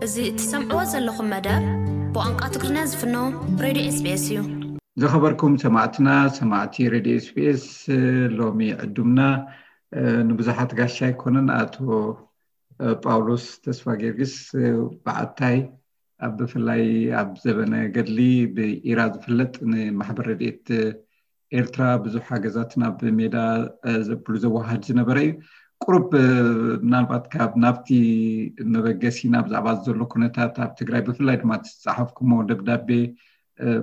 እዚ እትሰምዕዎ ዘለኹም መደብ ብቋንቋ ትግርኛ ዝፍኖ ሬድዮ ኤስቢኤስ እዩ። ዝኸበርኩም ሰማዕትና፣ ሰማዕቲ ሬድዮ ኤስቢኤስ፣ ሎሚ ዕዱምና ንብዙሓት ጋሻ ኣይኮነን። ኣቶ ጳውሎስ ተስፋ ጊዮርጊስ በዓታይ፣ ኣብ ብፍላይ ኣብ ዘበነ ገድሊ ብኢራ ዝፍለጥ፣ ንማሕበር ረድኤት ኤርትራ ብዙሕ ሓገዛት ናብ ሜዳ ዘብሉ ዘወሃድ ዝነበረ እዩ። ቁሩብ ምናልባት ካብ ናብቲ መበገሲና ብዛዕባ ዘሎ ኩነታት ኣብ ትግራይ፣ ብፍላይ ድማ እቲ ዝጸሓፍኩሞ ደብዳቤ፣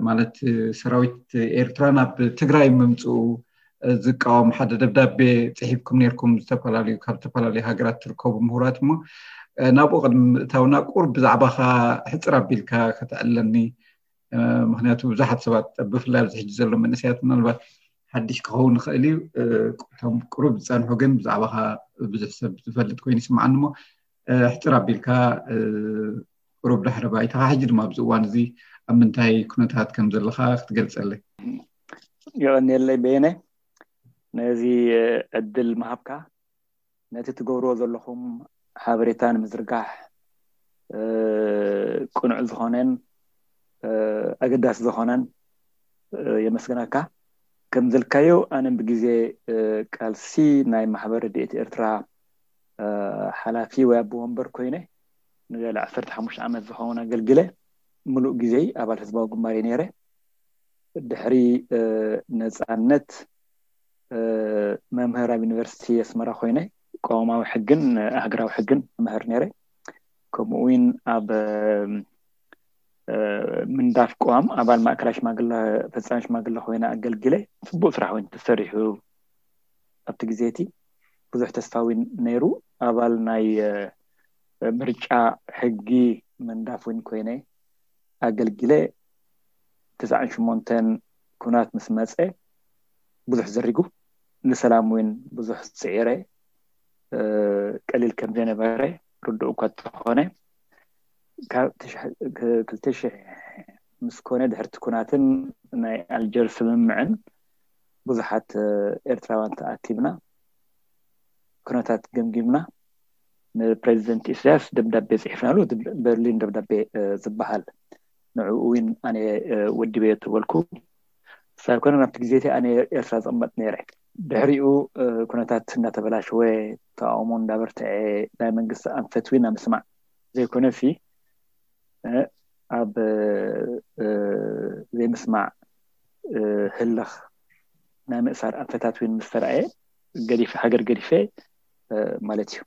ማለት ሰራዊት ኤርትራ ናብ ትግራይ ምምፅኡ ዝቃወም ሓደ ደብዳቤ ፅሒፍኩም ነርኩም፣ ዝተፈላለዩ ካብ ዝተፈላለዩ ሃገራት ትርከቡ ምሁራት እሞ፣ ናብኡ ቅድሚ ምእታውና ቁሩብ ብዛዕባኻ ሕፅር ኣቢልካ ከተዕለኒ። ምክንያቱ ብዙሓት ሰባት ብፍላይ ኣብዚ ሕጂ ዘሎ መንእሰያት ምናልባት ሓድሽ ክኸውን ይኽእል እዩ። እቶም ቁሩብ ዝፀንሑ ግን ብዛዕባኻ ብዙሕ ሰብ ዝፈልጥ ኮይኑ ይስምዓኒ እሞ፣ ሕፅር ኣቢልካ ቁሩብ ድሕሪ ባይታኻ፣ ሕጂ ድማ ኣብዚ እዋን እዚ ኣብ ምንታይ ኩነታት ከም ዘለኻ ክትገልፀለይ። የቐንየለይ በየነ፣ ነዚ ዕድል ምሃብካ። ነቲ ትገብርዎ ዘለኹም ሓበሬታ ንምዝርጋሕ ቅኑዕ ዝኾነን ኣገዳሲ ዝኾነን የመስግነካ። ከም ዝልካዮ ኣነ ብግዜ ቃልሲ ናይ ማሕበር ረድኤት ኤርትራ ሓላፊ ወይ ኣቦ ወንበር ኮይነ ንገለ ዓሰርተ ሓሙሽተ ዓመት ዝኸውን ኣገልግለ። ምሉእ ግዜይ ኣባል ህዝባዊ ግንባር እየ ነይረ። ድሕሪ ነፃነት መምህር ኣብ ዩኒቨርሲቲ ኣስመራ ኮይነ ቅዋማዊ ሕግን ሃገራዊ ሕግን መምህር ነይረ። ከምኡ እውን ኣብ ምንዳፍ ቅዋም ኣባል ማእከላይ ሽማግለ፣ ፈጻሚ ሽማግለ ኮይነ ኣገልጊለ። ጽቡቕ ስራሕ እውን ተሰሪሑ ኣብቲ ግዜ እቲ። ብዙሕ ተስፋ እውን ነይሩ። ኣባል ናይ ምርጫ ሕጊ ምንዳፍ እውን ኮይነ ኣገልጊለ። ተስዓን ሽሞንተን ኩናት ምስ መጸ ብዙሕ ዘሪጉ፣ ንሰላም እውን ብዙሕ ጽዒረ። ቀሊል ከም ዘይነበረ ርዱእ እኳ እንተኾነ፣ ካብ ክልተ ሽሕ ምስ ኮነ ድሕርቲ ኩናትን ናይ ኣልጀር ስምምዕን ብዙሓት ኤርትራውያን ተኣኪብና ኩነታት ገምጊምና። ንፕሬዚደንት ኢሳያስ ደብዳቤ ጽሒፍናሉ። በርሊን ደብዳቤ ዝበሃል፣ ንዕኡ እውን ኣነ ወዲበዮ ተበልኩ። ሳይኮነ ኣብቲ ግዜ እቲ ኣነ ኤርትራ ዝቕመጥ ነይረ። ድሕሪኡ ኩነታት እናተበላሸወ፣ ተቃውሞ እንዳበርትዐ፣ ናይ መንግስቲ ኣንፈት እውን ኣብ ምስማዕ ዘይኮነሲ ኣብ ዘይምስማዕ ህልኽ ናይ ምእሳር ኣንፈታት እውን ምስ ተረኣየ፣ ገዲፈ፣ ሃገር ገዲፈ ማለት እዩ።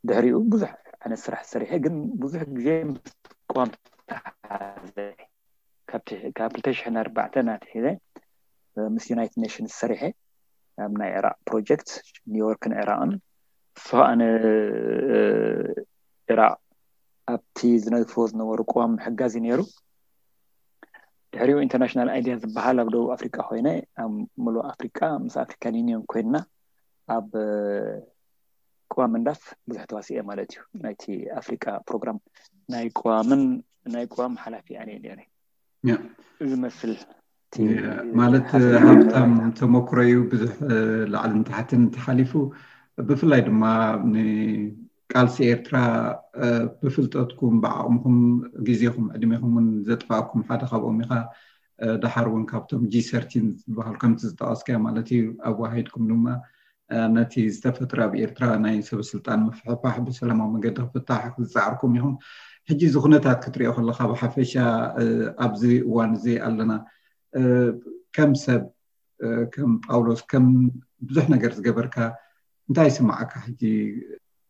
ድሕሪኡ ብዙሕ ዓይነት ስራሕ ሰሪሐ፣ ግን ብዙሕ ግዜ ምስ ቅዋም ተተሓዘ። ካብ ክልተ ሽሕን ኣርባዕተን ኣትሒዘ ምስ ዩናይትድ ኔሽንስ ሰሪሐ፣ ኣብ ናይ ኢራቅ ፕሮጀክት፣ ኒውዮርክን ኢራቅን። ንሱ ከዓ ንኢራቅ ኣብቲ ዝነድፍዎ ዝነበሩ ቅዋም ምሕጋዝ እዩ ነይሩ። ድሕሪኡ ኢንተርናሽናል ኣይዲያ ዝበሃል ኣብ ደቡብ ኣፍሪቃ ኮይነ፣ ኣብ ምሉእ ኣፍሪቃ ምስ ኣፍሪካን ዩኒዮን ኮይንና ኣብ ቅዋም ምንዳፍ ብዙሕ ተዋሲኤ ማለት እዩ። ናይቲ ኣፍሪቃ ፕሮግራም ናይ ቅዋምን ናይ ቅዋም ሓላፊ ኣነ ነይረ። ዝመስል ማለት ሃብታም ተመክሮ እዩ። ብዙሕ ላዕልን ታሕትን ተሓሊፉ፣ ብፍላይ ድማ ንቃልሲ ኤርትራ ብፍልጠትኩም፣ ብዓቕምኹም፣ ግዜኹም፣ ዕድሜኹም እውን ዘጥፋእኩም ሓደ ካብኦም ኢኻ። ደሓር እውን ካብቶም ጂ ሰርቲን ዝበሃሉ ከምቲ ዝጠቐስካዮ ማለት እዩ ኣዋሂድኩም ድማ ነቲ ዝተፈጥረ ኣብ ኤርትራ ናይ ሰበ ስልጣን ምፍሕፋሕ ብሰላማዊ መንገዲ ክፍታሕ ዝጸዓርኩም ኢኹም። ሕጂ እዚ ኩነታት ክትሪኦ ከለኻ ብሓፈሻ ኣብዚ እዋን እዚ ኣለና፣ ከም ሰብ፣ ከም ጳውሎስ፣ ከም ብዙሕ ነገር ዝገበርካ እንታይ ይስምዓካ ሕጂ?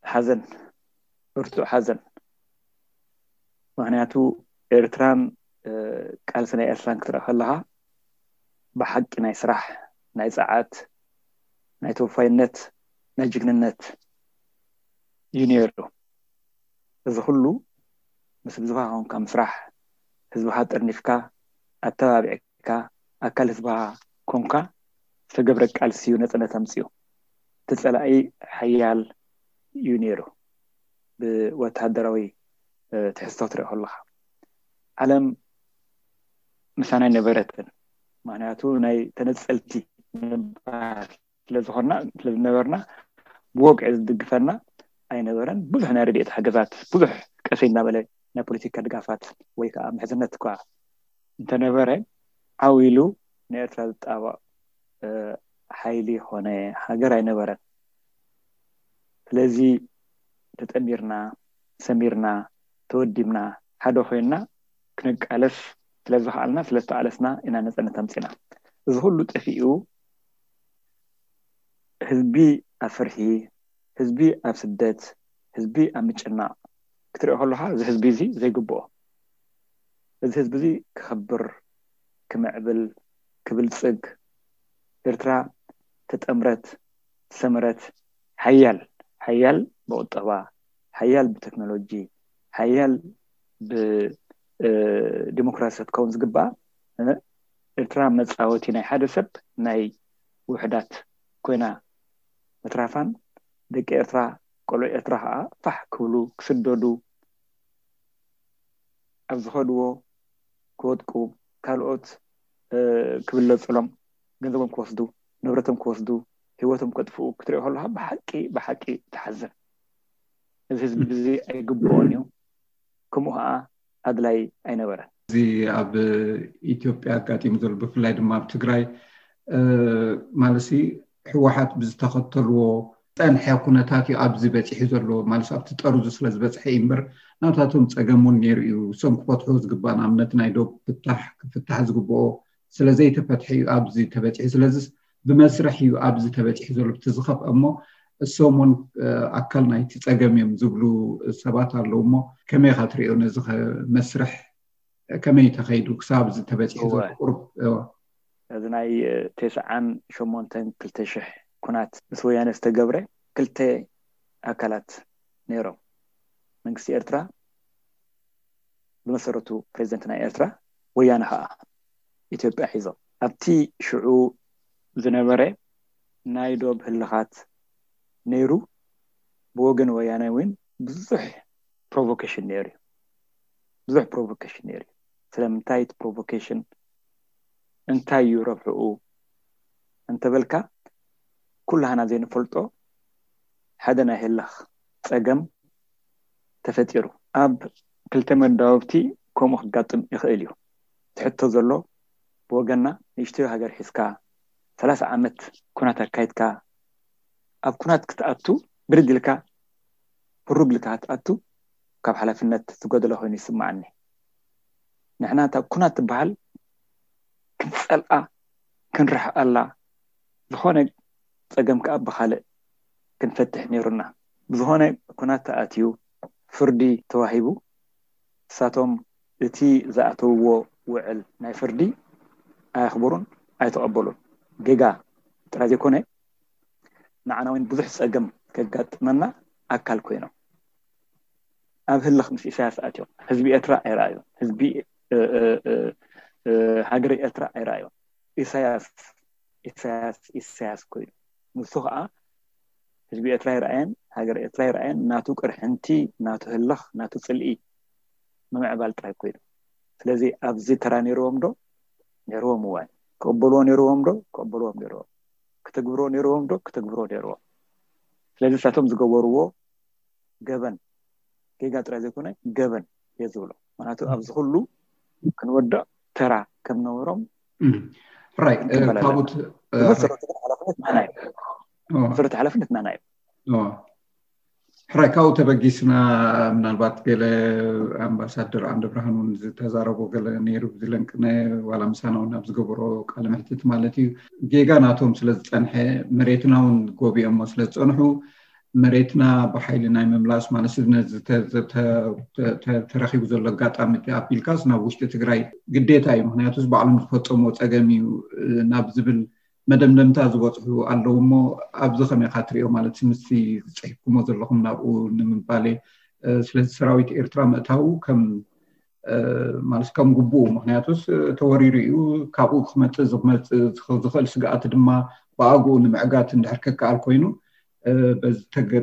ሓዘን፣ ብርቱዕ ሓዘን። ምክንያቱ ኤርትራን ቃልሲ ናይ ኤርትራን ክትርኢ ከለኻ ብሓቂ ናይ ስራሕ፣ ናይ ጸዓት፣ ናይ ተወፋይነት፣ ናይ ጅግንነት እዩ ነይሩ። እዚ ኩሉ ምስ ህዝብኻ ኮንካ ምስራሕ፣ ህዝብኻ ጠርኒፍካ፣ ኣተባቢዕካ፣ ኣካል ህዝብኻ ኮንካ ዝተገብረ ቃልሲ እዩ ነጻነት ኣምጺኡ። እቲ ጸላኢ ሓያል እዩ ነይሩ። ብወተሃደራዊ ትሕዝቶ ክትርኢ ከለኻ፣ ዓለም ምሳና ኣይነበረትን። ምክንያቱ ናይ ተነጸልቲ ንበሃል ስለዝኾንና፣ ስለዝነበርና፣ ብወግዒ ዝድግፈና ኣይነበረን። ብዙሕ ናይ ረድኤት ሓገዛት፣ ብዙሕ ቀሰይ እናበለ ናይ ፖለቲካ ድጋፋት ወይ ከዓ ምሕዝነት እኳ እንተነበረ፣ ዓው ኢሉ ንኤርትራ ዝጣበቕ ሓይሊ ኾነ ሃገር ኣይነበረን። ስለዚ ተጠሚርና፣ ሰሚርና፣ ተወዲብና፣ ሓደ ኮይንና ክንቃለስ ስለዝኸኣልና፣ ስለዝተቓለስና ኢና ነፃነት ኣምፂና። እዚ ኩሉ ጠፊኡ ህዝቢ ኣብ ፍርሂ፣ ህዝቢ ኣብ ስደት፣ ህዝቢ ኣብ ምጭናቕ ክትሪኦ ከለኻ፣ እዚ ህዝቢ እዚ ዘይግብኦ፣ እዚ ህዝቢ እዚ ክኸብር፣ ክምዕብል፣ ክብልፅግ፣ ኤርትራ ተጠምረት፣ ሰመረት፣ ሓያል ሓያል ብቁጠባ፣ ሓያል ብቴክኖሎጂ፣ ሓያል ብዲሞክራሲ ክትከውን ዝግባኣ፣ ኤርትራ መፃወቲ ናይ ሓደ ሰብ፣ ናይ ውሕዳት ኮይና ምትራፋን፣ ደቂ ኤርትራ፣ ቆልዑ ኤርትራ ከዓ ፋሕ ክብሉ፣ ክስደዱ፣ ኣብ ዝኸድዎ ክወድቁ፣ ካልኦት ክብለፁሎም፣ ገንዘቦም ክወስዱ፣ ንብረቶም ክወስዱ፣ ህይወቶም ከጥፍኡ ክትሪኦ ከለካ፣ ብሓቂ ብሓቂ ትሓዝን። እዚ ህዝቢ እዚ ኣይግብኦን እዩ፣ ከምኡ ከዓ ኣድላይ ኣይነበረን። እዚ ኣብ ኢትዮጵያ ኣጋጢሙ ዘሎ፣ ብፍላይ ድማ ኣብ ትግራይ፣ ማለት ህወሓት ብዝተኸተልዎ ዝፀንሐ ኩነታት እዩ ኣብዚ በፂሑ ዘሎ። ማለት ኣብቲ ጠርዙ ስለ ዝበፅሐ እዩ እምበር፣ ናታቶም ፀገም እውን ነይሩ እዩ። እሶም ክፈትሑ ዝግባእ፣ ንኣብነት ናይ ዶብ ፍታሕ ክፍታሕ ዝግብኦ ስለ ዘይተፈትሐ እዩ ኣብዚ ተበፂሑ። ስለዚ ብመስርሕ እዩ ኣብዚ ተበፂሑ ዘሎ፣ ብቲ ዝኸፍአ እሞ፣ እሶም እውን ኣካል ናይቲ ፀገም እዮም ዝብሉ ሰባት ኣለዉ። እሞ ከመይ ኢኻ ትሪኦ ነዚ መስርሕ? ከመይ ተኸይዱ ክሳብ እዚ ተበፂሑ ዘሎ ቁሩብ? እዚ ናይ ተስዓን ሸሞንተን ክልተ ሽሕ ኩናት ምስ ወያነ ዝተገብረ፣ ክልተ ኣካላት ነይሮም። መንግስቲ ኤርትራ ብመሰረቱ ፕሬዚደንት ናይ ኤርትራ፣ ወያነ ከዓ ኢትዮጵያ ሒዞም። ኣብቲ ሽዑ ዝነበረ ናይ ዶብ ህልኻት ነይሩ። ብወገን ወያነ እውን ብዙሕ ፕሮቮኬሽን ነይሩ እዩ። ብዙሕ ፕሮቮኬሽን ነይሩ እዩ። ስለምንታይ እቲ ፕሮቮኬሽን፣ እንታይ እዩ ረብሕኡ እንተበልካ፣ ኩላህና ዘይንፈልጦ ሓደ ናይ ህልኽ ፀገም ተፈጢሩ። ኣብ ክልተ መዳውብቲ ከምኡ ክጋጥም ይኽእል እዩ። ትሕቶ ዘሎ ብወገንና፣ ንእሽተዮ ሃገር ሒዝካ ሰላሳ ዓመት ኩናት ኣካይድካ፣ ኣብ ኩናት ክትኣቱ ብርግ ኢልካ፣ ብሩግ ኢልካ ክትኣቱ ካብ ሓላፍነት ዝጎደለ ኮይኑ ይስምዓኒ። ንሕና እታ ኩናት ትበሃል ክንፀልኣ፣ ክንርሕቐላ፣ ዝኾነ ፀገም ከዓ ብኻልእ ክንፈትሕ ነይሩና። ብዝኾነ ኩናት ተኣትዩ፣ ፍርዲ ተዋሂቡ፣ ንሳቶም እቲ ዝኣተውዎ ውዕል ናይ ፍርዲ ኣየኽብሩን፣ ኣይተቐበሉን። ጌጋ ጥራይ ዘይኮነ፣ ንዓና እውን ብዙሕ ፀገም ከጋጥመና ኣካል ኮይኖም። ኣብ ህልኽ ምስ ኢሳያስ ኣትዮም ህዝቢ ኤርትራ ኣይረኣዩን፣ ህዝቢ ሃገረ ኤርትራ ኣይረኣዩን። ኢሳያስ ኢሳያስ ኢሳያስ ኮይኑ፣ ንሱ ከዓ ህዝቢ ኤርትራ ኣይረኣየን፣ ሃገር ኤርትራ ኣይረኣየን። ናቱ ቅርሕንቲ፣ ናቱ ህልኽ፣ ናቱ ፅልኢ ምምዕባል ጥራይ ኮይኑ። ስለዚ ኣብዚ ተራ ነይርዎም ዶ? ነይርዎም። እዋይ፣ ክቕበልዎ ነይርዎም ዶ? ክቕበልዎም ነይርዎም። ክትግብርዎ ነይርዎም ዶ? ክትግብርዎ ነይርዎም። ስለዚ ንሳቶም ዝገበርዎ ገበን፣ ጌጋ ጥራይ ዘይኮነ ገበን እየ ዝብሎ። ምክንያቱ ኣብዚ ኩሉ ክንወድቕ ተራ ከም ነበሮም ሕራይ ካብኡት መሰረቱ ሓላፍነት ናና እዩ። መሰረቱ ሓላፍነት ናና እዩ። ሕራይ ካብኡ ተበጊስና፣ ምናልባት ገለ ኣምባሳደር ዓንደ ብርሃን እውን ዝተዛረቦ ገለ ነይሩ፣ ብዝለንቅነ ዋላ ምሳና እውን ኣብ ዝገበሮ ቃለ መሕትት ማለት እዩ። ጌጋ ናቶም ስለ ዝፀንሐ፣ መሬትና እውን ጎቢኦሞ ስለ ዝፀንሑ፣ መሬትና ብሓይሊ ናይ ምምላስ ማለት ነዚ ተረኪቡ ዘሎ ኣጋጣሚ ኣቢልካስ ናብ ውሽጢ ትግራይ ግዴታ እዩ። ምክንያቱ ባዕሎም ዝፈፀምዎ ፀገም እዩ ናብ ዝብል መደምደምታ ዝበፅሑ ኣለዉ። እሞ ኣብዚ ከመይ ኢኻ ትሪኦ? ማለት ምስቲ ዝፅሒፍኩሞ ዘለኹም ናብኡ ንምባሌ፣ ስለዚ ሰራዊት ኤርትራ ምእታዉ ከም ማለት ከም ግቡኡ፣ ምክንያቱስ ተወሪሩ እዩ፣ ካብኡ ክመፅእ ዝመፅእ ዝኽእል ስግኣት ድማ ብኣግኡ ንምዕጋት እንድሕር ከከኣል ኮይኑ፣ በዚ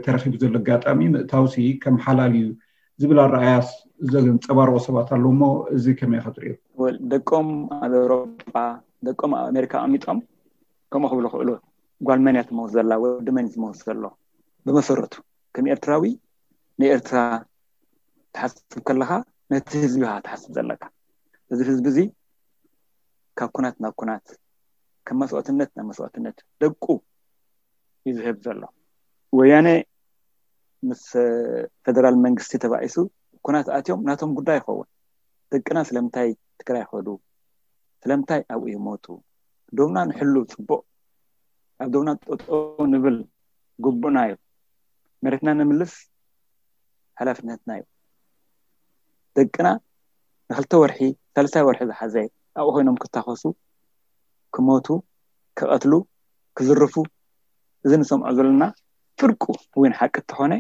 ተረኪቡ ዘሎ ኣጋጣሚ ምእታውሲ ከም ሓላል እዩ ዝብል ኣረኣያስ ዘንፀባርቑ ሰባት ኣለዉ። እሞ እዚ ከመይ ኢኻ ትሪኦ? ደቆም ኣብ ኤውሮጳ፣ ደቆም ኣብ ኣሜሪካ ኣቐሚጦም ከምኡ ክብሉ ክእሉ። ጓል መን እያ ትመውት ዘላ? ወዲ መን እዩ ዝመውት ዘሎ? ብመሰረቱ ከም ኤርትራዊ ንኤርትራ ትሓስብ ከለኻ ነቲ ህዝቢ ኢኻ ትሓስብ ዘለካ። እዚ ህዝቢ እዚ ካብ ኩናት ናብ ኩናት፣ ካብ መስዋእትነት ናብ መስዋእትነት ደቁ እዩ ዝህብ ዘሎ። ወያነ ምስ ፌደራል መንግስቲ ተባኢሱ ኩናት ኣትዮም ናቶም ጉዳይ ይኸውን። ደቅና ስለምንታይ ትግራይ ኸዱ? ስለምንታይ ኣብኡ ይሞቱ? ዶብና ንሕሉ፣ ፅቡቕ፣ ኣብ ዶብና ጠጠው ንብል፣ ግቡእና እዩ። መሬትና ንምልስ ሓላፍነትና እዩ። ደቅና ንክልተ ወርሒ፣ ሳልሳይ ወርሒ ዝሓዘ ኣብኡ ኮይኖም ክታኸሱ፣ ክሞቱ፣ ክቐትሉ፣ ክዝርፉ፣ እዚ ንሰምዖ ዘለና ፍርቁ እውን ሓቂ እንተኾነ፣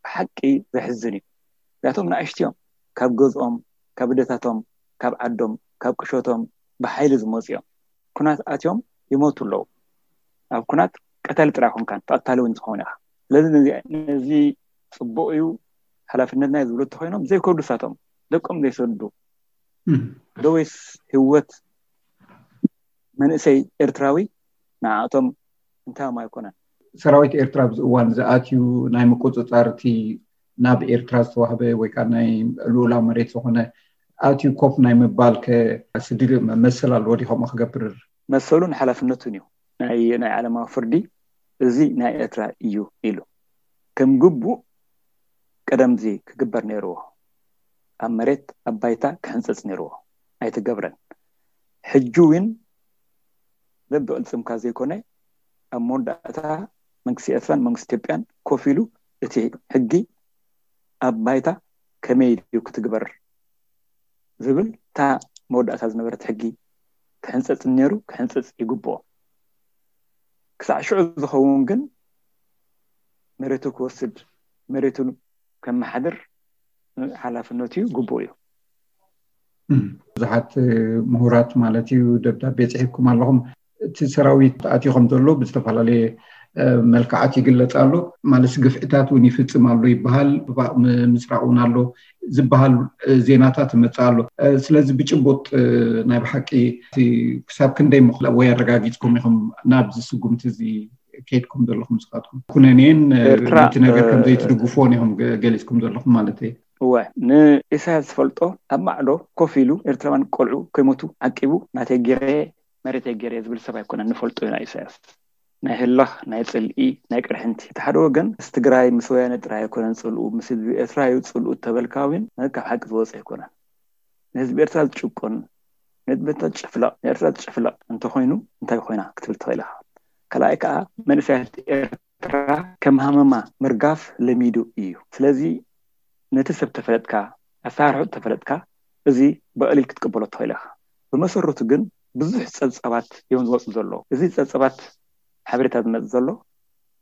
ብሓቂ ዘሕዝን እዩ። እዚኣቶም ንኣሽትዮም ካብ ገዝኦም፣ ካብ ኣደታቶም፣ ካብ ዓዶም፣ ካብ ቅሾቶም ብሓይሊ ዝመፁ እዮም። ኩናት ኣትዮም ይሞቱ ኣለዉ። ኣብ ኩናት ቀታሊ ጥራይ ኮንካን ተቐታሊ እውን ትኸውን ኢኻ። ስለዚ ነዚ ጽቡቕ እዩ፣ ሓላፍነትና እዩ ዝብሉ እንተኾይኖም ዘይከብዱ ሳቶም ደቆም ዘይሰዱ፣ ዶ ወይስ ህይወት መንእሰይ ኤርትራዊ ንዓኣቶም እንታይ እዮም ኣይኮነን። ሰራዊት ኤርትራ ኣብዚ እዋን ዝኣትዩ ናይ ምቁፅፃር እቲ ናብ ኤርትራ ዝተዋህበ ወይ ከዓ ናይ ልኡላዊ መሬት ዝኾነ ኣትዩ ኮፍ ናይ ምባል ከ ስድሊ መሰል ኣለዎ ድዩ ከምኡ ክገብር? መሰሉን ሓላፍነቱን እዩ። ናይ ናይ ዓለማዊ ፍርዲ እዚ ናይ ኤርትራ እዩ ኢሉ ከም ግቡእ ቀደም እዚ ክግበር ነይርዎ። ኣብ መሬት ኣብ ባይታ ክሕንፀፅ ነይርዎ፣ ኣይተገብረን። ሕጂ እውን በብቕልፅምካ ዘይኮነ ኣብ መወዳእታ መንግስቲ ኤርትራን መንግስቲ ኢትዮጵያን ኮፍ ኢሉ እቲ ሕጊ ኣብ ባይታ ከመይ ድዩ ክትግበር ዝብል እታ መወዳእታ ዝነበረት ሕጊ ክሕንፀፅ ነይሩ ክሕንፀፅ ይግብኦ። ክሳዕ ሽዑ ዝኸውን ግን መሬቱ ክወስድ መሬቱ ከመሓድር ሓላፍነቱ እዩ፣ ግቡእ እዩ። ብዙሓት ምሁራት ማለት እዩ ደብዳቤ ፅሒፍኩም ኣለኹም። እቲ ሰራዊት ኣትዩ ከም ዘሎ ብዝተፈላለየ መልክዓት ይግለፅ ኣሎ። ማለት ግፍዕታት እውን ይፍፅም ኣሎ ይበሃል፣ ብባቕ ምስራቕ እውን ኣሎ ዝበሃል ዜናታት ይመፅእ ኣሎ። ስለዚ ብጭቡጥ ናይ ብሓቂ ክሳብ ክንደይ ምኽላ ወይ ኣረጋጊፅኩም ኢኹም ናብዚ ስጉምቲ እዚ ከይድኩም ዘለኹም ንስኻትኩም? ኩነኔን ኤርትራ፣ ነቲ ነገር ከም ዘይትድግፍዎን ኢኹም ገ- ገሊፅኩም ዘለኹም ማለት እዩ። እወ፣ ንኢሳያስ ዝፈልጦ ኣብ ማዕዶ ኮፍ ኢሉ ኤርትራውያን ቆልዑ ከይሞቱ ዓቂቡ ናተይ ገይረ መሬተይ ገይረ ዝብል ሰብ ኣይኮነን። ንፈልጦ ኢና ኢሳያስ ናይ ህላኽ፣ ናይ ፅልኢ፣ ናይ ቅርሕንቲ። እቲ ሓደ ወገን ምስ ትግራይ ምስ ወያነ ጥራይ ኣይኮነን ፅልኡ፣ ምስ ህዝቢ ኤርትራ እዩ ፅልኡ ተበልካ እውን ካብ ሓቂ ዝወፀ ኣይኮነን። ንህዝቢ ኤርትራ ዝጭቁን፣ ንህዝቢ ኤርትራ ዝጭፍለቕ፣ ንኤርትራ ዝጭፍለቕ እንተኾይኑ እንታይ ኮይና ክትብል ትኽእል ኢኻ። ካልኣይ ከዓ መንእሰያት ኤርትራ ከም ሃመማ ምርጋፍ ለሚዱ እዩ። ስለዚ ነቲ ሰብ ተፈለጥካ፣ ኣሰራርሑ ተፈለጥካ፣ እዚ ብቐሊል ክትቅበሎ ትኽእል ኢኻ። ብመሰረቱ ግን ብዙሕ ጸብጻባት እዮም ዝወፁ ዘለዉ። እዚ ጸብጻባት ሓበሬታ ዝመጽእ ዘሎ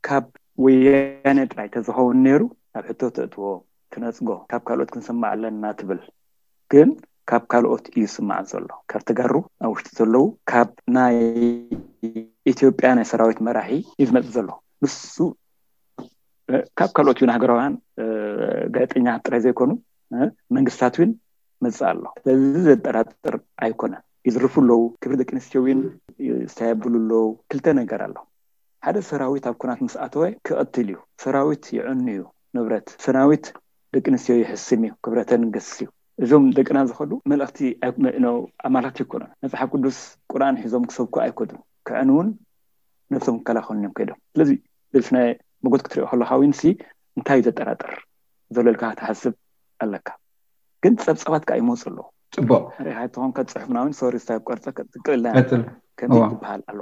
ካብ ወያነ ጥራይ ተዝኸውን ነይሩ ናብ ሕቶ ተእትዎ፣ ትነጽጎ፣ ካብ ካልኦት ክንሰማዕ ኣለና ትብል። ግን ካብ ካልኦት እዩ ዝስማዕ ዘሎ። ካብ ተጋሩ ኣብ ውሽጢ ዘለዉ፣ ካብ ናይ ኢትዮጵያ ናይ ሰራዊት መራሒ እዩ ዝመጽእ ዘሎ። ንሱ ካብ ካልኦት እውን ሃገራውያን ጋዜጠኛ ጥራይ ዘይኮኑ መንግስታት እውን መጽእ ኣሎ። ስለዚ ዘጠራጥር ኣይኮነን። ይዝርፉ ኣለዉ። ክብሪ ደቂ ኣንስትዮ እውን ይስተያብሉ ኣለዉ። ክልተ ነገር ኣሎ። ሓደ ሰራዊት ኣብ ኩናት ምስ ኣተወ ክቐትል እዩ። ሰራዊት የዕኑ እዩ ንብረት። ሰራዊት ደቂ ኣንስትዮ ይሕስም እዩ፣ ክብረተን ይገስስ እዩ። እዞም ደቅና ዝኸዱ መልእኽቲ ኣማልኽቲ ኣይኮኑን። መጽሓፍ ቅዱስ ቁርኣን ሒዞም ክሰብኩ ኣይከዱን። ከዕንውን ነብሶም ክከላኸሉን እዮም ከይዶም። ስለዚ ብልፍነ መጎት ክትሪኦ ከለኻ እውን ሲ እንታይ እዩ ዘጠራጥር ዘሎ ኢልካ ክትሓስብ ኣለካ። ግን ጸብጻባት ከኣ ይመጹ ኣለዉ። ጽቡቕ። ርኢኻ ተኾንካ ጽሑፍና እውን ሶሪ ስታይ ቆርጸ ክትቅልላ ቀጽል። ከምዚ እዋ። ትበሃል ኣሎ።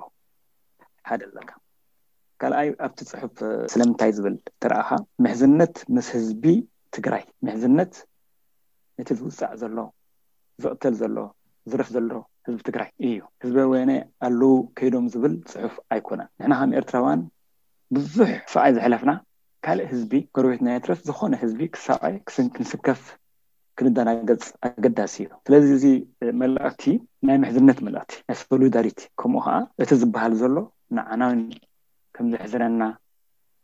ሓደ ኣለካ። ካልኣይ ኣብቲ ጽሑፍ ስለምንታይ ዝብል ተረኣኻ ምሕዝነት ምስ ህዝቢ ትግራይ ምሕዝነት ነቲ ዝውጻዕ ዘሎ ዝቕተል ዘሎ ዝረፍ ዘሎ ህዝቢ ትግራይ እዩ። ህዝቢ ወያነ ኣለዉ ከይዶም ዝብል ጽሑፍ ኣይኮነን። ንሕና ከም ኤርትራውያን ብዙሕ ስቓይ ዘሕለፍና ካልእ ህዝቢ ጎረቤትና የትረፍ ዝኾነ ህዝቢ ክሳቐ ክንስከፍ ክንደናገጽ ኣገዳሲ እዩ። ስለዚ እዚ መልእኽቲ ናይ ምሕዝነት መልእኽቲ ናይ ሶሊዳሪቲ ከምኡ ከዓ እቲ ዝበሃል ዘሎ ንዓናውን ከም ዘሕዝነና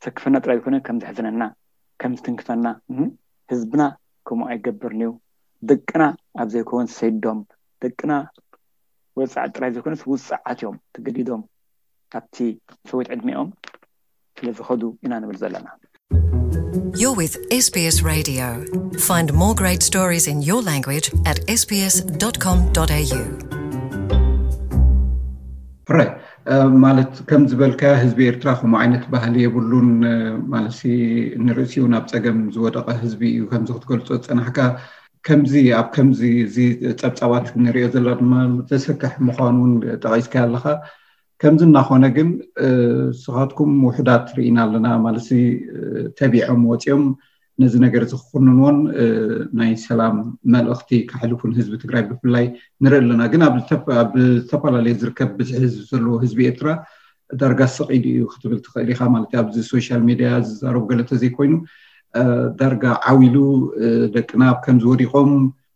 ሰክፈና ጥራይ ዝኾነ ከም ዘሕዝነና ከም ዝትንክፈና ህዝብና ከምኡ ኣይገብርን እዩ። ደቅና ኣብ ዘይከውን ሰይዶም ደቅና ወፃዕ ጥራይ ዘይኮነስ ውፃዓት እዮም ተገዲዶም ኣብቲ ሰዊት ዕድሜኦም ስለዝኸዱ ኢና ንብል ዘለና። You're with S B S Radio. Find more great stories in your language at S B S dot com dot A U. ሕራይ ማለት ከም ዝበልካ ህዝቢ ኤርትራ ከምኡ ዓይነት ባህሊ የብሉን። ማለት ንርእሲኡ ናብ ጸገም ዝወደቐ ህዝቢ እዩ። ከምዚ ክትገልጾ ዝጸናሕካ ከምዚ ኣብ ከምዚ እዚ ጸብጻባት ንሪኦ ዘለና ድማ ዘሰክሕ ምዃኑ እውን ጠቒስካ ኣለኻ። ከምዚ እናኾነ ግን ስኻትኩም ውሕዳት ርኢና ኣለና ማለት ተቢዖም ወፂኦም ነዚ ነገር እዚ ክኹንንዎን ናይ ሰላም መልእኽቲ ከሕልፉን ህዝቢ ትግራይ ብፍላይ ንርኢ ኣለና። ግን ኣብ ዝተፈላለዩ ዝርከብ ብዝሒ ህዝቢ ዘለዎ ህዝቢ ኤርትራ ዳርጋ ስቕ ኢሉ እዩ ክትብል ትኽእል ኢኻ ማለት እዩ። ኣብዚ ሶሻል ሚድያ ዝዛረቡ ገለ ተዘይኮይኑ ዳርጋ ዓው ኢሉ ደቅና ኣብ ከምዚ ወዲቖም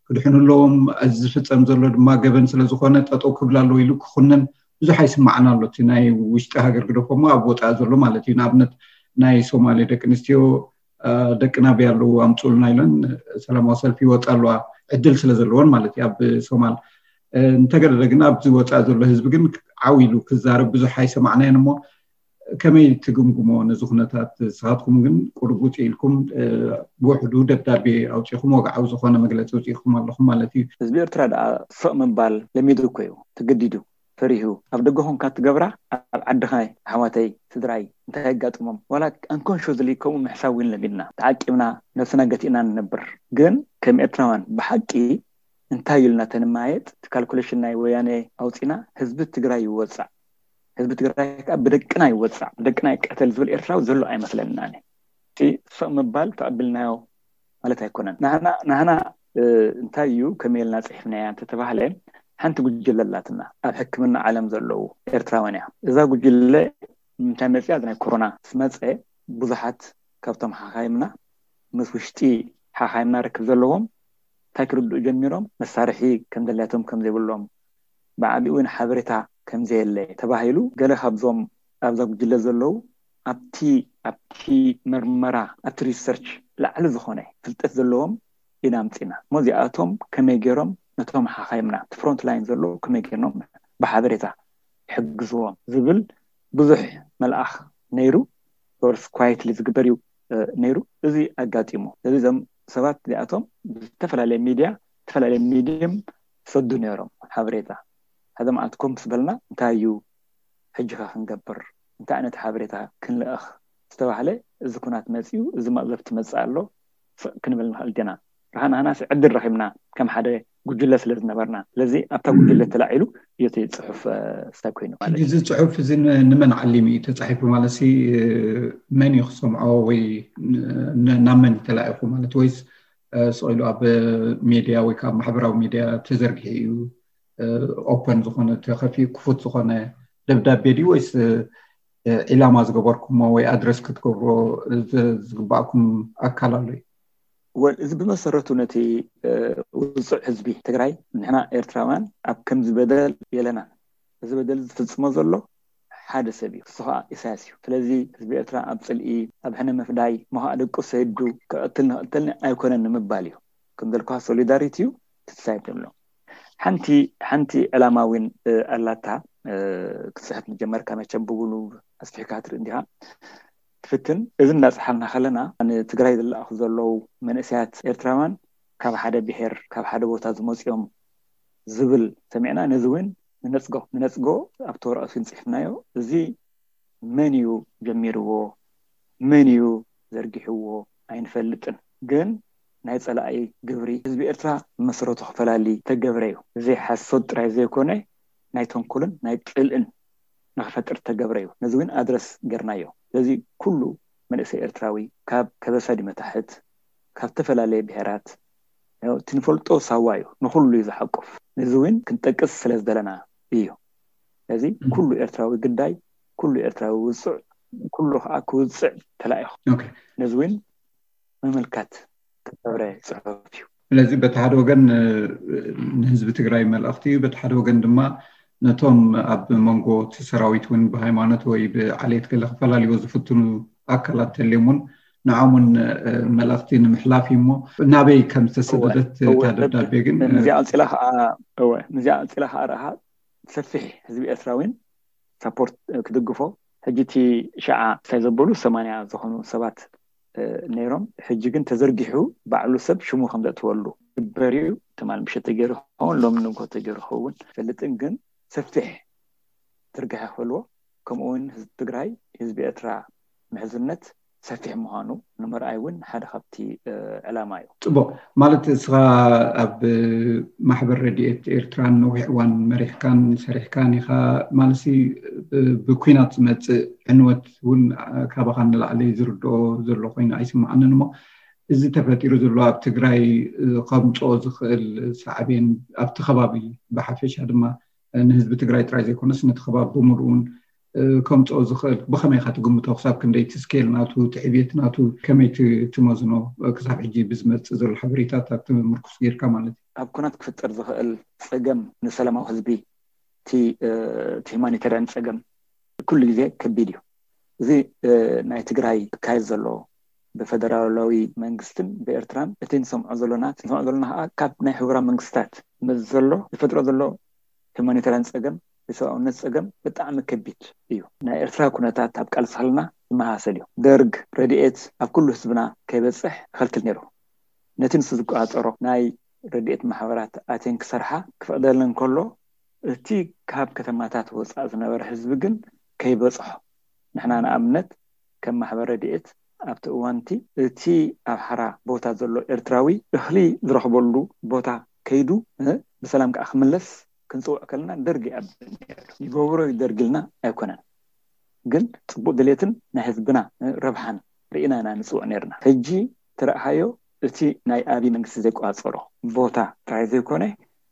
ክድሕኑ ኣለዎም፣ እዚ ዝፍፀም ዘሎ ድማ ገበን ስለዝኾነ ጠጠው ክብል ኣለዎ ኢሉ ክኹንን ብዙሕ ኣይስማዕን ኣሎ። እቲ ናይ ውሽጢ ሃገር ግደፎ እሞ ኣብ ወፃኢ ዘሎ ማለት እዩ። ንኣብነት ናይ ሶማሌ ደቂ ኣንስትዮ ደቂ ናበይ ኣለዉ ኣምፅኡልና ኢለን ሰላማዊ ሰልፊ ይወፃ ኣለዋ ዕድል ስለ ዘለዎን ማለት እዩ። ኣብ ሶማል እንተገደደ ግን ኣብዚ ወፃኢ ዘሎ ህዝቢ ግን ዓው ኢሉ ክዛረብ ብዙሕ ኣይሰማዕናዮን እሞ ከመይ ትግምግሞ ነዚ ኩነታት? ንስኻትኩም ግን ቁሩብ ውፅእ ኢልኩም ብውሕዱ ደብዳቤ ኣውፂኹም ወግዓዊ ዝኾነ መግለፂ ኣውፂኹም ኣለኹም ማለት እዩ። ህዝቢ ኤርትራ ደኣ ስቕ ምባል ለሚዱ እኮ እዩ፣ ተገዲዱ፣ ፈሪሁ። ኣብ ደገ ኮንካ ትገብራ ኣብ ዓድኻ ኣሕዋተይ ስድራይ እንታይ የጋጥሞም ዋላ ኣንኮንሽስሊ ከምኡ ምሕሳብ እውን ለሚድና ተዓቂብና ነብስና ገቲእና ንነብር። ግን ከም ኤርትራውያን ብሓቂ እንታይ ኢልና ተንማየጥ እቲ ካልኩሌሽን ናይ ወያነ ኣውፂና ህዝቢ ትግራይ ይወፃዕ ህዝቢ ትግራይ ከዓ ብደቅና ይወፃዕ ብደቅና ይቀተል ዝብል ኤርትራዊ ዘሎ ኣይመስለንን። ኣነ እቲ ስቕ ምባል ተቐቢልናዮ ማለት ኣይኮነን። ናህና ናህና እንታይ እዩ ከመይ ኢልና ፅሒፍናያ እንተተባህለ ሓንቲ ጉጅለ ኣላትና ኣብ ሕክምና ዓለም ዘለዉ ኤርትራውያን እያ። እዛ ጉጅለ እንታይ መፅያ ናይ ኮሮና ስመፀ ብዙሓት ካብቶም ሓኻይምና ምስ ውሽጢ ሓኻይምና ርክብ ዘለዎም እንታይ ክርድኡ ጀሚሮም መሳርሒ ከም ደልያቶም ከም ዘይብሎም ብዓቢኡ እውን ሓበሬታ ከም ዘየለ ተባሂሉ ገለ ካብዞም ኣብዛ ጉጅለ ዘለዉ ኣብቲ ኣብቲ መርመራ ኣብቲ ሪሰርች ላዕሊ ዝኾነ ፍልጠት ዘለዎም ኢና ኣምፂና እሞ እዚኣቶም ከመይ ገይሮም ነቶም ሓኻይምና እቲ ፍሮንት ላይን ዘለዉ ከመይ ገይሮም ብሓበሬታ ይሕግዝዎም ዝብል ብዙሕ መልኣኽ ነይሩ። ርስ ኳየትሊ ዝግበር እዩ ነይሩ። እዚ ኣጋጢሙ እዚ ዞም ሰባት እዚኣቶም ዝተፈላለየ ሚድያ ዝተፈላለየ ሚድየም ሰዱ ነይሮም ሓበሬታ ሓደ መዓልቲ ኮምፕስ በልና እንታይ እዩ ሕጂኻ ክንገብር እንታይ ዓይነት ሓበሬታ ክንልእኽ ዝተባህለ እዚ ኩናት መፅኡ እዚ መቕዘፍቲ መፅእ ኣሎ ስቕ ክንብል ንኽእል ዲና? ረሃናሃናስ ዕድል ረኺብና ከም ሓደ ጉጅለ ስለ ዝነበርና ስለዚ ኣብታ ጉጅለ ተላዒሉ እዩ እቲ ፅሑፍ ስታይ ኮይኑ ማለት እዩ። እዚ ፅሑፍ እዚ ንመን ዓሊሙ እዩ ተፃሒፉ ማለት ሲ መን እዩ ክሰምዖ ወይ ናብ መን እዩ ተላኢኹ ማለት ወይስ ስቕ ኢሉ ኣብ ሜድያ ወይ ከዓ ማሕበራዊ ሜድያ ተዘርጊሑ እዩ ኦፐን ዝኾነ ተኸፊኡ ክፉት ዝኾነ ደብዳቤ ድዩ ወይስ ዒላማ ዝገበርኩሞ ወይ ኣድረስ ክትገብሮ ዝግባእኩም ኣካል ኣሎ እዩ? ወል እዚ ብመሰረቱ ነቲ ውፁዕ ህዝቢ ትግራይ ንሕና ኤርትራውያን ኣብ ከምዚ በደል የለናን እዚ በደል ዝፍፅሞ ዘሎ ሓደ ሰብ እዩ እሱ ከዓ ኢሳያስ እዩ ስለዚ ህዝቢ ኤርትራ ኣብ ፅልኢ ኣብ ሕነ ምፍዳይ ምዃእ ደቁ ሰይዱ ክቐትል ንቐተልኒ ኣይኮነን ንምባል እዩ ከም ዘልኩካ ሶሊዳሪቲ እዩ ትሳይድ ዘሎ ሓንቲ ሓንቲ ዕላማ እውን ኣላታ ክትፅሕፍ ምጀመርካ መቸም ብሙሉ ኣስፊሕካ ክትርኢ እንዲኻ ትፍትን እዚ እንዳፀሓፍና ከለና ንትግራይ ዝለኣኹ ዘለዉ መንእሰያት ኤርትራውያን ካብ ሓደ ብሄር ካብ ሓደ ቦታ ዝመፅኦም ዝብል ሰሚዕና ነዚ እውን ንነፅጎ ንነፅጎ ኣብቲ ወረቐት ክንፅሕፍናዮ እዚ መን እዩ ጀሚርዎ መን እዩ ዘርጊሕዎ ኣይንፈልጥን ግን ናይ ፀላኢ ግብሪ ህዝቢ ኤርትራ መሰረቱ ክፈላሊ ተገብረ እዩ እዚ ሓሶት ጥራይ ዘይኮነ ናይ ተንኮልን ናይ ፅልእን ንክፈጥር ተገብረ እዩ ነዚ እውን ኣድረስ ገርናዮ ስለዚ ኩሉ መንእሰይ ኤርትራዊ ካብ ከበሳ ድመታሕት ካብ ዝተፈላለየ ብሄራት እቲ ንፈልጦ ሳዋ እዩ ንኩሉ እዩ ዝሓቁፍ ነዚ እውን ክንጠቅስ ስለ ዝደለና እዩ ስለዚ ኩሉ ኤርትራዊ ግዳይ ኩሉ ኤርትራዊ ውፅዕ ኩሉ ከዓ ክውፅዕ ተላኢኹ ነዚ እውን ምምልካት ክገብረ ፅሑፍ እዩ ስለዚ በቲ ሓደ ወገን ንህዝቢ ትግራይ መልእኽቲ እዩ በቲ ሓደ ወገን ድማ ነቶም ኣብ መንጎ እቲ ሰራዊት እውን ብሃይማኖት ወይ ብዓሌት ገለ ክፈላልዎ ዝፍትኑ ኣካላት ተልዮም እውን ንዖም እውን መልእኽቲ ንምሕላፍ እዩ እሞ ናበይ ከም ዝተሰደደት እታ ደብዳቤ ግን እዚኣ ኣንፅላ ከዓ እወ እዚኣ ኣንፅላ ከዓ ረኣ ሰፊሕ ህዝቢ ኤርትራዊን ሳፖርት ክድግፎ ሕጂ እቲ ሸዓ እንታይ ዘበሉ ሰማንያ ዝኾኑ ሰባት ነይሮም። ሕጂ ግን ተዘርጊሑ ባዕሉ ሰብ ሽሙ ከም ዘእትወሉ ግበር እዩ። ትማል ምሸት ተገይሩ ክኸውን፣ ሎም ንግሆ ተገይሩ ክኸውን ፈልጥን፣ ግን ሰፊሕ ትርግሐ ክህልዎ፣ ከምኡ እውን ህዝቢ ትግራይ፣ ህዝቢ ኤርትራ ምሕዝነት ሰፊሕ ምዃኑ ንምርኣይ እውን ሓደ ካብቲ ዕላማ እዩ። ፅቡቅ። ማለት እስኻ ኣብ ማሕበር ረድኤት ኤርትራን ነዊሕ እዋን መሪሕካን ሰሪሕካን ኢኻ። ማለት ብኩናት ዝመፅእ ዕንወት እውን ካባኻ ንላዕሊ ዝርድኦ ዘሎ ኮይኑ ኣይስማዓንን። እሞ እዚ ተፈጢሩ ዘሎ ኣብ ትግራይ ከምፅኦ ዝኽእል ሳዕቤን ኣብቲ ከባቢ ብሓፈሻ ድማ ንህዝቢ ትግራይ ጥራይ ዘይኮነስ ነቲ ከባቢ ብምሉኡ እውን ከምፅኦ ዝኽእል ብኸመይ ኢኻ ትግምቶ? ክሳብ ክንደይ እቲ ስኬል ናቱ፣ እቲ ዕብየት ናቱ ከመይ ትመዝኖ? ክሳብ ሕጂ ብዝመፅእ ዘሎ ሓበሬታታት ምርኩስ ጌርካ ማለት እዩ። ኣብ ኩናት ክፍጠር ዝኽእል ፀገም ንሰላማዊ ህዝቢ፣ እቲ ሂማኒታርያን ፀገም ኩሉ ግዜ ከቢድ እዩ። እዚ ናይ ትግራይ ክካየድ ዘሎ ብፈደራላዊ መንግስትን ብኤርትራን፣ እቲ ንሰምዖ ዘለና ንሰምዖ ዘለና ከዓ ካብ ናይ ሕቡራ መንግስታት መዚ ዘሎ ዝፈጥሮ ዘሎ ሂማኒታርያን ፀገም፣ የሰብኣውነት ፀገም ብጣዕሚ ከቢድ እዩ። ናይ ኤርትራ ኩነታት ኣብ ቃልሲ ህልና ዝመሳሰል እዩ። ደርግ ረድኤት ኣብ ኩሉ ህዝብና ከይበፅሕ ይኸልክል ነይሩ። ነቲ ንሱ ዝቆፃፀሮ ናይ ረድኤት ማሕበራት ኣትየን ክሰርሓ ክፈቅደለን ከሎ፣ እቲ ካብ ከተማታት ወፃእ ዝነበረ ህዝቢ ግን ከይበፅሖ፣ ንሕና ንኣብነት ከም ማሕበር ረድኤት ኣብቲ እዋንቲ እቲ ኣብ ሓራ ቦታ ዘሎ ኤርትራዊ እኽሊ ዝረኽበሉ ቦታ ከይዱ ብሰላም ከዓ ክምለስ ክንፅውዕ ከለና ደርግ ይኣብን ነይሩ። ይገብሮ እዩ ደርግ ኢልና ኣይኮነን፣ ግን ፅቡቅ ድሌትን ናይ ህዝብና ረብሓን ርኢና ኢና ንፅውዕ ነይርና። ሕጂ ተረእሃዮ እቲ ናይ ኣብይ መንግስቲ ዘይቆፃፀሮ ቦታ ጥራይ ዘይኮነ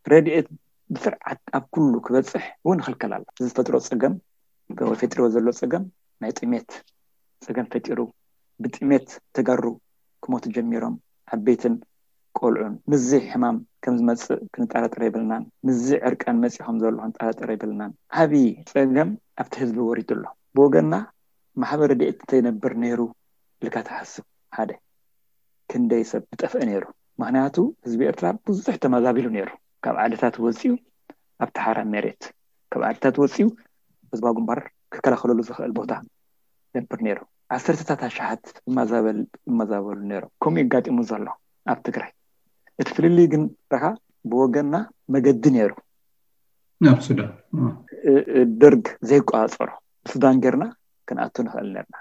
ረድኤት ብስርዓት ኣብ ኩሉ ክበፅሕ እውን ይኽልከል ኣሎ። እዚ ዝፈጥሮ ፀገም ወይ ፈጢርዎ ዘሎ ፀገም ናይ ጥሜት ፀገም ፈጢሩ፣ ብጥሜት ተጋሩ ክሞቱ ጀሚሮም፣ ዓበይትን ቆልዑን። ምዚ ሕማም ከም ዝመፅእ ክንጠራጠር የብልናን። ምዚ ዕርቃን መፂኡ ከም ዘሎ ክንጠራጠር የብልናን። ዓብዪ ፀገም ኣብቲ ህዝቢ ወሪዱ ኣሎ። ብወገንና ማሕበር ረድኤት እንተይነብር ነይሩ ኢልካ ትሓስብ። ሓደ ክንደይ ሰብ ምጠፍአ ነይሩ። ምክንያቱ ህዝቢ ኤርትራ ብዙሕ ተመዛቢሉ ነይሩ። ካብ ዓድታት ወፂኡ ኣብቲ ሓራ መሬት፣ ካብ ዓድታት ወፂኡ ህዝባዊ ግንባር ክከላኸለሉ ዝኽእል ቦታ ነብር ነይሩ። ዓሰርተታት ኣሽሓት ይመዛበል ይመዛበሉ ነይሮም። ከምኡ የጋጢሙ ዘሎ ኣብ ትግራይ። እቲ ፍልልይ ግን ረኻ ብወገንና መገዲ ነይሩ። ናብ ሱዳን ደርግ ዘይቆፃፀሮ ብሱዳን ጌርና ክንኣቱ ንኽእል ነርና።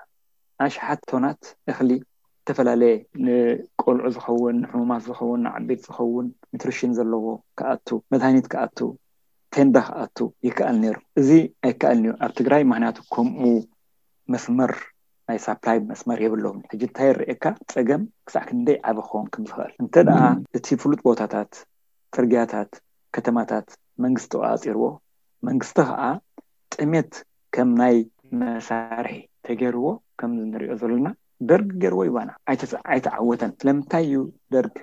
ኣሽሓት ቶናት እኽሊ ዝተፈላለየ ንቆልዑ ዝኸውን፣ ንሕሙማት ዝኸውን፣ ንዓበይቲ ዝኸውን፣ ኒትሪሽን ዘለዎ ክኣቱ፣ መድሃኒት ክኣቱ፣ ቴንዳ ክኣቱ ይከኣል ነይሩ። እዚ ኣይከኣልን እዩ ኣብ ትግራይ፣ ምክንያቱ ከምኡ መስመር ናይ ሳፕላይ መስመር የብለውም። ሕጂ እንታይ ይረኤካ? ፀገም ክሳዕ ክንደይ ዓቢ ክኸውን ከም ዝኽእል። እንተ ደኣ እቲ ፍሉጥ ቦታታት፣ ፅርግያታት፣ ከተማታት መንግስቲ ተቆፃፂርዎ፣ መንግስቲ ከዓ ጥሜት ከም ናይ መሳርሒ ተገይርዎ ከም ንሪኦ ዘለና፣ ደርግ ገይርዎ ይባና ኣይተዓወተን። ስለምንታይ እዩ ደርግ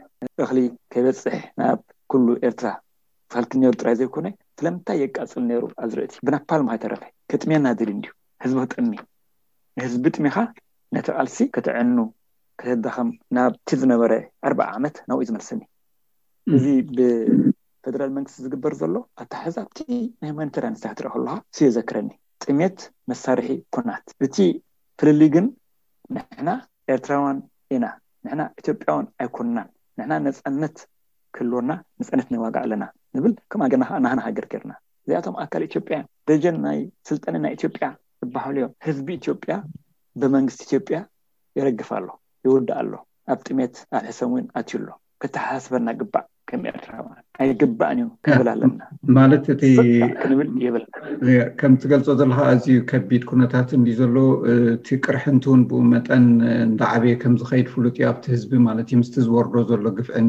እኽሊ ከይበፅሕ ናብ ኩሉ ኤርትራ ዝኸልክል ነይሩ ጥራይ ዘይኮነ፣ ስለምንታይ የቃፅል ነይሩ ኣዝርእቲ? ብናፓልም ኣይተረፈ። ከጥምየና ድል እንድዩ ህዝቢ ክጠሚ። ንህዝቢ ጥሚኻ ነቲ ቃልሲ ከተዕኑ ከተዳኸም ናብቲ ዝነበረ ኣርባዓ ዓመት ናብኡ ዝመልሰኒ። እዚ ብፌደራል መንግስቲ ዝግበር ዘሎ ኣተሓሕዛ ኣብቲ ናይ ሁማኒታርያን ስራሕ ትርኢ ከለኻ እሱ የዘክረኒ። ጥሜት መሳርሒ ኩናት። እቲ ፍልልይ ግን ንሕና ኤርትራውያን ኢና፣ ንሕና ኢትዮጵያውያን ኣይኮንናን። ንሕና ነፃነት ክህልወና ነፃነት ነዋጋ ኣለና ንብል፣ ከም ኣገና ከዓ ናህና ሃገር ገርና። እዚኣቶም ኣካል ኢትዮጵያ፣ ደጀን ናይ ስልጣነ ናይ ኢትዮጵያ ዝበሃሉ እዮም። ህዝቢ ኢትዮጵያ ብመንግስቲ ኢትዮጵያ ይረግፍ ኣሎ፣ ይወድእ ኣሎ። ኣብ ጥሜት ኣብ ሕሰም እውን ኣትዩ ኣሎ። ክተሓሳስበና ግባእ። ከም ኤርትራውያን ኣይግባእን እዩ ክንብል ኣለና። ማለት እቲ ክንብል የብልና። ከም ትገልጾ ዘለካ ኣዝዩ ከቢድ ኩነታት እንዲ ዘሎ፣ እቲ ቅርሕንቲ እውን ብኡ መጠን እንዳዓበየ ከም ዝኸይድ ፍሉጥ እዩ ኣብቲ ህዝቢ ማለት እዩ። ምስቲ ዝወርዶ ዘሎ ግፍዕን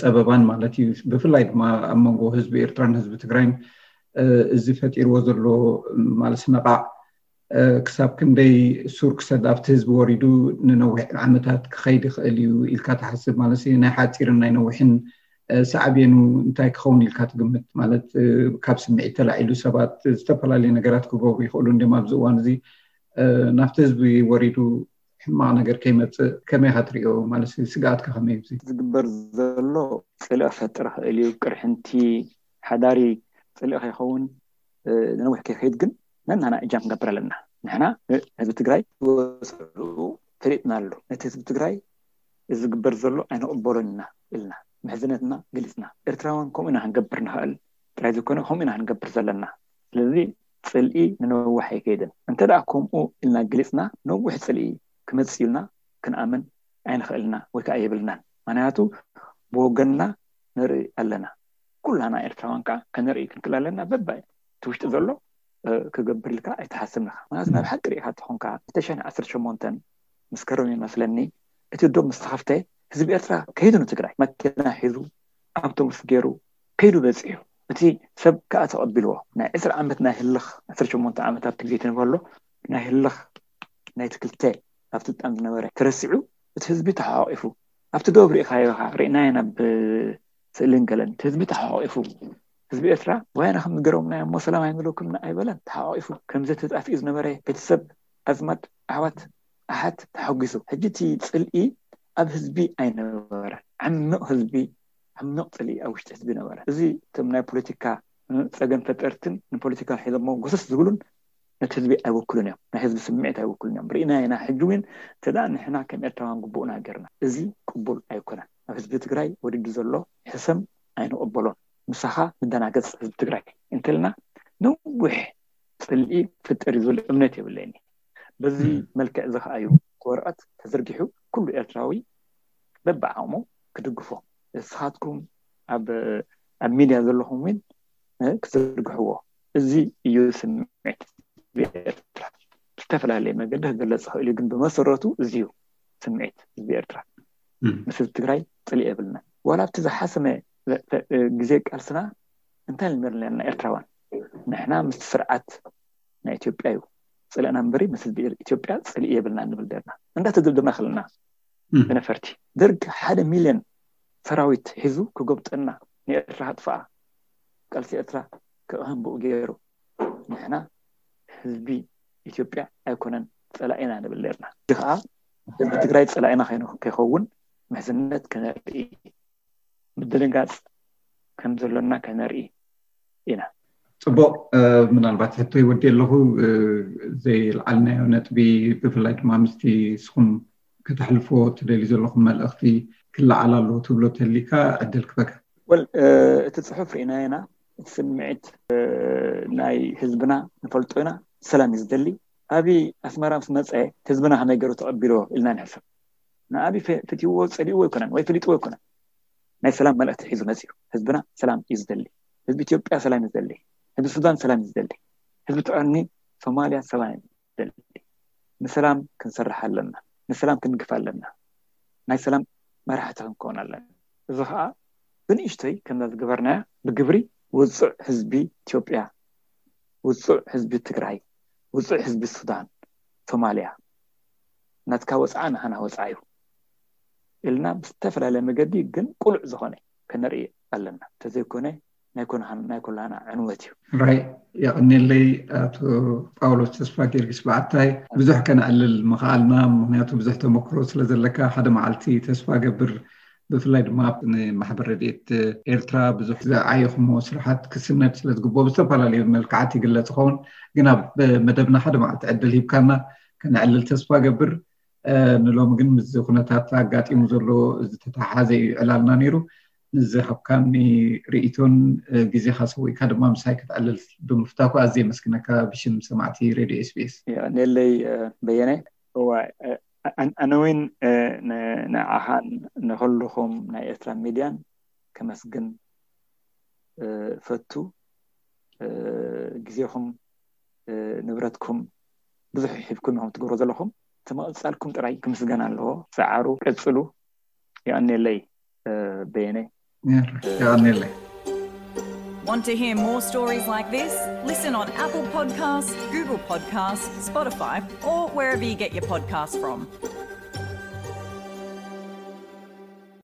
ፀበባን ማለት እዩ። ብፍላይ ድማ ኣብ መንጎ ህዝቢ ኤርትራን ህዝቢ ትግራይን እዚ ፈጢርዎ ዘሎ ማለት ነቓዕ ክሳብ ክንደይ ሱር ክሰድ ኣብቲ ህዝቢ ወሪዱ ንነዊሕ ዓመታት ክኸይድ ይኽእል እዩ ኢልካ ትሓስብ? ማለት ናይ ሓፂርን ናይ ነዊሕን ሳዕቤኑ እንታይ ክኸውን ኢልካ ትግምት? ማለት ካብ ስምዒት ተላዒሉ ሰባት ዝተፈላለዩ ነገራት ክገብሩ ይኽእሉ እንዲም ኣብዚ እዋን እዚ ናብቲ ህዝቢ ወሪዱ ሕማቕ ነገር ከይመፅእ ከመይ ኢኻ ትሪኦ? ማለት ስግኣትካ ከመይ እዩ? ዝግበር ዘሎ ፅልኢ ክፈጥር ይኽእል እዩ። ቅርሕንቲ ሓዳሪ ፅልኢ ከይኸውን ንነዊሕ ከይኸይድ ግን ነናና እጃም ክንገብር ኣለና። ንሕና ህዝቢ ትግራይ ወፅኡ ተሪጥናሉ። ነቲ ህዝቢ ትግራይ እዚ ዝግበር ዘሎ ኣይንቕበሎን ኢና ኢልና ምሕዝነትና ገሊፅና። ኤርትራውያን ከምኡ ኢና ክንገብር ንኽእል ጥራይ ዘይኮነ፣ ከምኡ ኢና ክንገብር ዘለና። ስለዚ ፅልኢ ንነዋሕ ኣይከይድን። እንተ ደኣ ከምኡ ኢልና ገሊፅና፣ ነዊሕ ፅልኢ ክመፅእ ኢልና ክንኣምን ኣይንኽእልና ወይ ከዓ የብልናን። ምክንያቱ ብወገንና ንርኢ ኣለና። ኩላና ኤርትራውያን ከዓ ከነርኢ ክንክእል ኣለና። በባይ እቲ ውሽጢ ዘሎ ክገብር ኢልካ ኣይትሓስብ ኢኻ። ምክንያቱ ናብ ሓቂ ርኢኻ ተኾንካ፣ ክልተ ሽሕን ዓሰርተ ሸሞንተን መስከረም ይመስለኒ፣ እቲ ዶብ ምስ ተኸፍተ፣ ህዝቢ ኤርትራ ከይዱ ንትግራይ፣ መኪና ሒዙ፣ ኣውቶቡስ ገይሩ ከይዱ በፂሑ። እቲ ሰብ ከዓ ተቐቢልዎ። ናይ ዕስራ ዓመት ናይ ህልኽ፣ ዓሰርተ ሸሞንተ ዓመት ኣብቲ ግዜ ትንበሎ ናይ ህልኽ ናይቲ ክልተ ኣብ ስልጣን ዝነበረ ተረሲዑ፣ እቲ ህዝቢ ተሓቋቒፉ ኣብቲ ዶብ ርኢኻዮ ኢኻ። ርኢናዮ ናብ ስእልን ገለን። እቲ ህዝቢ ተሓቋቒፉ፣ ህዝቢ ኤርትራ ዋይ ንዓኹም ዝገረሙና እዮም፣ ሰላም ኣይንብለኩም ኣይበለን። ተሓቋቒፉ ከም ዘተጣፍኡ ዝነበረ ቤተሰብ፣ ኣዝማድ፣ ኣሕዋት፣ ኣሓት ተሓጒሱ። ሕጂ እቲ ጽልኢ ኣብ ህዝቢ ኣይነበረን። ዓሚቕ ህዝቢ፣ ዓሚቕ ጽልኢ ኣብ ውሽጢ ህዝቢ ነበረ። እዚ እቶም ናይ ፖለቲካ ጸገም ፈጠርትን ንፖለቲካ ሒዞሞ ጎሰስ ዝብሉን ነቲ ህዝቢ ኣይወክሉን እዮም። ናይ ህዝቢ ስምዒት ኣይወክሉን እዮም። ርኢና ኢና። ሕጂ እውን እንተ ደኣ ንሕና ከም ኤርትራውያን ግቡእና ጌርና፣ እዚ ቅቡል ኣይኮነን። ኣብ ህዝቢ ትግራይ ወሪዱ ዘሎ ሕሰም ኣይንቕበሎን። ምሳኻ ንደናገጽ ህዝቢ ትግራይ እንተልና ነዊሕ ጽልኢ ክፍጠር እዩ ዝብል እምነት የብለይን። በዚ መልክዕ እዚ ኸኣ እዩ ወረቐት ተዘርጊሑ ኩሉ ኤርትራዊ በብዓቕሙ ክድግፎ። ንስኻትኩም ኣብ ኣብ ሚድያ ዘለኹም እውን ክትዝርግሕዎ። እዚ እዩ ስምዒት ህዝቢ ኤርትራ። ብዝተፈላለየ መገዲ ክግለጽ ይኽእል እዩ፣ ግን ብመሰረቱ እዚ እዩ ስምዒት ህዝቢ ኤርትራ። ምስ ህዝቢ ትግራይ ጽልኢ የብልና። ዋላ ኣብቲ ዝሓሰመ ግዜ ቃልስና እንታይ ንብል ነርና ኤርትራውያን? ንሕና ምስቲ ስርዓት ናይ ኢትዮጵያ እዩ ጽልእና እምበሪ ምስ ህዝቢ ኢትዮጵያ ጽልኢ የብልና ንብል ነርና። እንዳተደብደብና ከለና ብነፈርቲ ደርግ ሓደ ሚልዮን ሰራዊት ሒዙ ክጎብጠና፣ ንኤርትራ ከጥፍኣ፣ ቃልሲ ኤርትራ ክቕህም ብኡ ገይሩ። ንሕና ህዝቢ ኢትዮጵያ ኣይኮነን ጸላኢና ንብል ነርና። እዚ ኸኣ ህዝቢ ትግራይ ጸላኢና ከይኑ-፣ ከይኸውን ምሕዝነት ከነርኢ፣ ምድንጋጽ ከም ዘሎና ከነርኢ ኢና። ጽቡቕ። ምናልባት ሕቶይ ወዲ ኣለኹ፣ ዘየልዓልናዮ ነጥቢ፣ ብፍላይ ድማ ምስቲ ንስኹም ከተሕልፎ ትደልዩ ዘለኹም መልእኽቲ ክለዓል ኣለዎ ትብሎ ተሊካ ዕድል ክበካ። ወል፣ እቲ ጽሑፍ ርኢናዮ ኢና። እቲ ስምዒት ናይ ህዝብና ንፈልጦ ኢና። ሰላም እዩ ዝደሊ። ኣብይ ኣስመራ ምስ መጸ ህዝብና ከመይ ገይሩ ተቐቢልዎ ኢልና ንሕሰብ። ንኣብይ ፈ-፣ ፈትይዎ ጸሊእዎ ኣይኮነን ወይ ፈሊጥዎ ኣይኮነን። ናይ ሰላም መልእኽቲ ሒዙ መጺኡ። ህዝብና ሰላም እዩ ዝደሊ። ህዝቢ ኢትዮጵያ ሰላም እዩ ዝደሊ። ህዝቢ ሱዳን ሰላም እዩ ዝደሊ። ህዝቢ ተቐርኒ ሶማልያ ሰላም እዩ ዝደሊ። ንሰላም ክንሰርሕ ኣለና። ንሰላም ክንግፍ ኣለና። ናይ ሰላም መራሕቲ ክንከውን ኣለና። እዚ ኸኣ ብንእሽቶይ ከምዛ ዝገበርናያ ብግብሪ ውጹዕ ህዝቢ ኢትዮጵያ፣ ውጹዕ ህዝቢ ትግራይ፣ ውጹዕ ህዝቢ ሱዳን፣ ሶማልያ፣ ናትካ ወጽዓ ናህና ወጽዓ እዩ ኢልና ብዝተፈላለየ መገዲ ግን ቅሉዕ ዝኾነ ከነርኢ ኣለና። እንተዘይኮነ ናይ ኮንሃን-፣ ናይ ኩላና ዕንወት እዩ። ራይ፣ የቐንየለይ ኣቶ ጳውሎስ ተስፋ ጊዮርጊስ በዓታይ። ብዙሕ ከነዕልል ምኽኣልና፣ ምኽንያቱ ብዙሕ ተመክሮ ስለ ዘለካ። ሓደ መዓልቲ ተስፋ ገብር፣ ብፍላይ ድማ ኣብ ማሕበር ረድኤት ኤርትራ ብዙሕ ዝዓየኹሞ ስራሓት ክስነድ ስለ ዝግብኦ ብዝተፈላለዩ መልክዓት ይግለጽ ይኸውን። ግን ኣብ መደብና ሓደ መዓልቲ ዕድል ሂብካና ከነዕልል ተስፋ ገብር። ንሎሚ ግን ምስዚ ኩነታት ኣጋጢሙ ዘሎ ዝተተሓሓዘ እዩ ዕላልና ነይሩ። ንዝሃብካኒ ርእይቶን ግዜኻ ሰዊእካ ድማ ምሳይ ክትዕልል ብምፍታኩ ኣዝየ የመስግነካ ብሽም ሰማዕቲ ሬድዮ ኤስቢኤስ። የቐንየለይ በየነ። እዋ፣ ኣን-፣ ኣነ እውን ንዓኻን ንኹልኹም ናይ ኤርትራ ሚድያን ከመስግን እፈቱ። ግዜኹም፣ ንብረትኩም ብዙሕ ሂብኩም ኢኹም ትገብሮ ዘለኹም። እቲ ምቕጻልኩም ጥራይ ክምስገን ኣለዎ። ሰዓሩ ቀጽሉ። የቐንየለይ በየነ። የቐንየለይ። Want to hear more stories like this? Listen on Apple Podcasts, Google Podcasts, Spotify, or wherever you get your podcasts from.